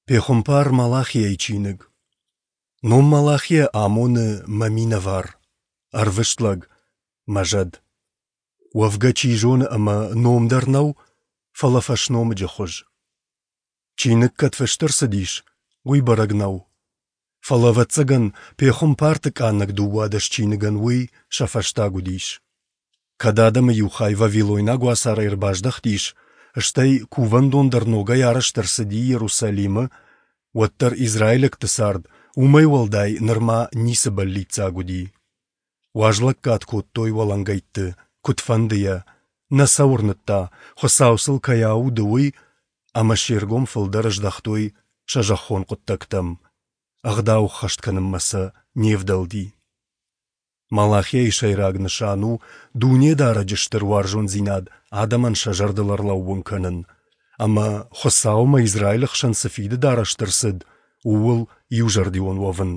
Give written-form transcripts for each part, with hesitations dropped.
Пехуымпар Малахийӕйы чиныг. Ном Малахия амоны «мӕ минӕвар», «ӕрвыст лӕг», «мӕ зӕд». Уӕвгӕ чи зоны ӕмӕ ном дӕр нӕу, фӕлӕ фӕсномыджы хуыз. Чиныг кӕд фыст ӕрцыдис, уый бӕрӕг нӕу. Фӕлӕ, ӕвӕццӕгӕн, пехуымпарты къаннӕг 12 чиныгӕн уый сӕ фӕстаг уыдис. Кӕд адӕмы иу хай вавилойнаг уацарӕй ӕрбаздӕхтис, стӕй кувӕндон дӕр ногӕй арӕзт ӕрцыди Иерусалимы, уӕддӕр израилӕгты цард уымӕй уӕлдай нырма ницы бӕллиццаг уыди. Уазлӕггад кодтой уӕлӕнгӕйтты, куыдфӕндыйӕ, нӕ сӕ уырныдта, Хуыцау сыл кӕй ауды, уый, ӕмӕ се ргом фылдӕр здӕхтой сӕ зӕххон хъуыддӕгтӕм, ӕгъдау ӕххӕст кӕнынмӕ сӕ не вдӕлди. Малахийы сӕйраг нысан у Дунедарӕджы стыр уарзондзинад адӕмӕн сӕ зӕрдыл ӕрлӕууын кӕнын, ӕмӕ Хуыцаумӕ Израилы хсӕн цы фидыд арӕзт ӕрцыд, ууыл иузӕрдион уӕвын.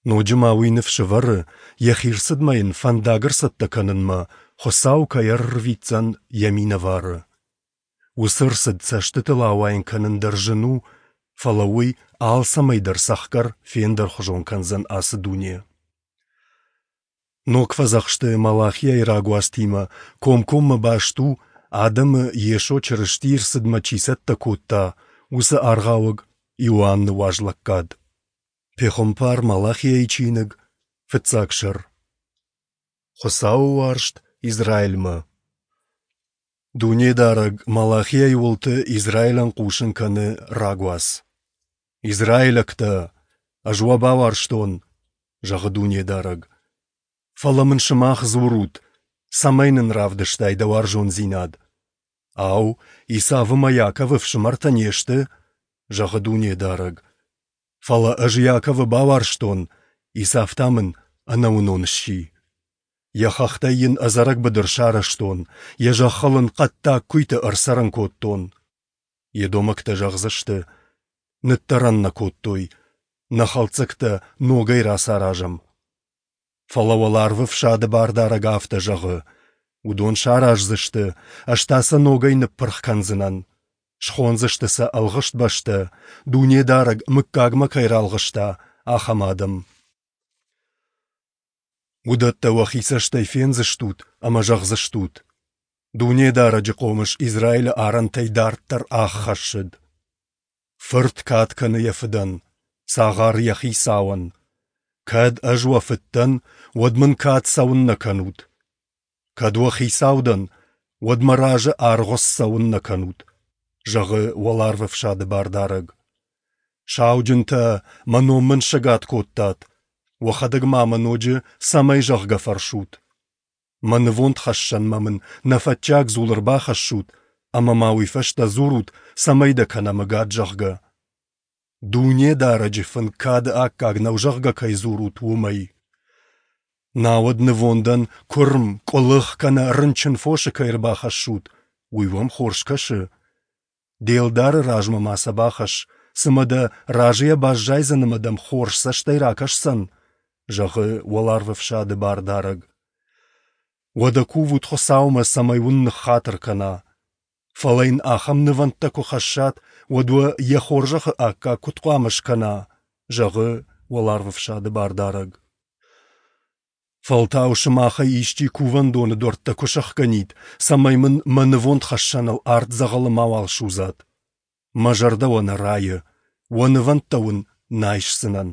Ноджы ма уый ныфс ӕвӕры, йӕхи рцыдмӕ йын фӕндаг ӕрцӕттӕ кӕнынмӕ Хуыцау кӕй ӕрырвитдзӕн йӕ минӕвары. Уыцы ӕрцыд цӕстытыл ауайын кӕнын дӕр зын у, фӕлӕ уый алцӕмӕй дӕр цӕхгӕр фендӕрхуызон кӕндзӕн ацы дуне. Ног фӕдзӕхсты Малахийӕйы рагуацтимӕ комкоммӕ баст у, адӕмы Йесо Чырыстийы рцыдмӕ чи цӕттӕ кодта, уыцы аргъауӕг Иоанны уазлӕггад. Пехуымпар Малахийӕйы чиныг, фыццаг сӕр. Хуыцауы уарзт Израилмӕ. Дунедарӕг Малахийӕйы уылты Израилӕн хъусын кӕны рагуац. «Израилӕгтӕ, ӕз уӕ бауарзтон, зӕгъы Дунедарӕг. Фӕлӕ мын сымах дзурут, цӕмӕй нын равдыстай дӕ уарзондзинад. Ау, Исавы мӕ Иаковы фсымӕртӕ не сты? зӕгъы Дунедарӕг. Фӕлӕ ӕз Иаковы бауарзтон, Исав та мын ӕнӕуынон сси. Йӕ хӕхтӕй йын ӕдзӕрӕг быдыр сарӕзтон, йӕ зӕххыл ын хъӕддаг куыйты ӕрцӕрын кодтон. Едомӕгтӕ зӕгъдзысты: Ныддӕрӕн нӕ кодтой, нӕ хӕлддзӕгтӕ ногӕй рацаразӕм. Фӕлӕ уӕларвы фсады бардарӕг афтӕ зӕгъы: Уыдон сараздзысты, ӕз та сӕ ногӕй ныппырх кӕндзынӕн. Схондзысты сӕ ӕлгъыст бӕстӕ, Дунедарӕг мыггагмӕ кӕй ралгъыста, ахӕм адӕм. Уыдӕттӕ уӕхи цӕстӕй фендзыстут ӕмӕ зӕгъдзыстут: Дунедарӕджы хъомыс Израилы арӕнтӕй дарддӕр ӕххӕссыд. Фырт кад кӕны йӕ фыдӕн, цагъар йӕ хицауӕн. Кӕд ӕз уӕ фыд дӕн, уӕд мын кад цӕуыннӕ кӕнут? Кӕд уӕ хицау дӕн, уӕд мӕ разы аргъуыц цӕуыннӕ кӕнут? зӕгъы уӕларвӕфсады бардарӕг. Сауджынтӕ, мӕ ном мын сӕгад кодтат, уӕхӕдӕг ма мӕ ноджы цӕмӕй зӕгъгӕ фӕрсут? Мӕ нывондхӕссӕнмӕ мын нӕфӕтчиаг дзул ӕрбахӕссут ӕмӕ ма уый фӕстӕ дзурут, цӕмӕй дӕ кӕнӕм ӕгад, зӕгъгӕ. Дунедарӕджы фынг кады аккаг нӕу, зӕгъгӕ, кӕй дзурут, уымӕй. Науӕд нывондӕн куырм, къуылых кӕнӕ рынчын фосы кӕй ӕрбахӕссут, уый уӕм хорз кӕсы? Де лдары размӕ ма сӕ бахӕсс, цымӕ дӕ разыйӕ баззайдзӕн ӕмӕ дӕм хорз цӕстӕй ракӕсдзӕн, зӕгъы уӕларвӕфсады бардарӕг. Уӕдӕ кувут Хуыцаумӕ, цӕмӕй уын ныххатыр кӕна. Фӕлӕ йын ахӕм нывӕндтӕ куы хӕссат, уӕд уӕ йӕ хорзӕхы аккаг куыд хъуамӕ скӕна, зӕгъы уӕларвӕфсады бардарӕг. Фӕлтау сымахӕй исчи кувӕндоны дуӕрттӕ куы сӕхгӕнид, цӕмӕй мын мӕ нывондхӕссӕныл арт дзӕгъӕлы мауал судзат. Мӕ зӕрдӕ уӕ нӕ райы, уӕ нывӕндтӕ уын нӕ айсдзынӕн,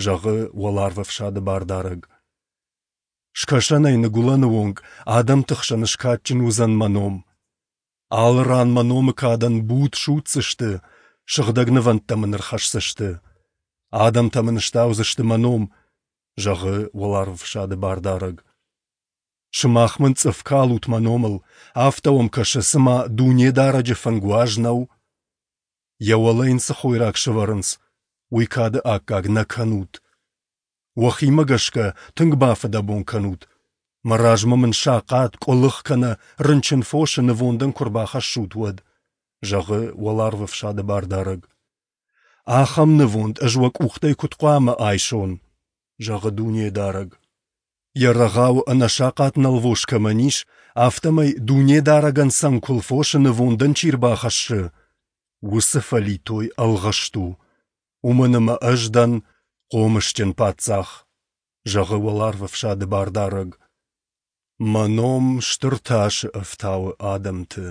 зӕгъы уӕларвӕфсады бардарӕг. Скӕсӕнӕй ныгуылӕны онг адӕмты хсӕн скадджын уыдзӕн мӕ ном. Алы ран мӕ номы кадӕн буд судздзысты, сыгъдӕг нывӕндтӕ мын ӕрхӕсдзысты. Адӕмтӕ мын стаудзысты мӕ ном, зӕгъы уӕларвӕфсады бардарӕг. Сымах мын цъыф калут мӕ номыл, афтӕ уӕм кӕсы, цыма Дунедарӕджы фынг уаз нӕу. Йӕ уӕлӕ йын цы хойраг сӕвӕрынц, уый кады аккаг нӕ кӕнут. Уӕхимӕ гӕсгӕ тынг бафыдӕбон кӕнут, мӕ размӕ мын сахъат, къуылых кӕнӕ рынчын фосы нывондӕн куы рбахӕссут, уӕд, зӕгъы уӕларвӕфсады бардарӕг. Ахӕм нывонд ӕз уӕ къухтӕй куыд хъуамӕ айсон, зӕгъы Дунедарӕг. Йӕ рӕгъауы ӕнӕсахъат нӕлвос кӕмӕн ис, афтӕмӕй Дунедарӕгӕн цӕнкуыл фосы нывондӕн чи рбахӕссы, Уыцы фӕлитой ӕлгъыст у, уымӕн ӕмӕ Ӕз дӕн хъомысджын Паддзах, зӕгъы Уӕларвӕфсады Бардарӕг. Мӕ ном стыр тасы ӕфтауы адӕмты.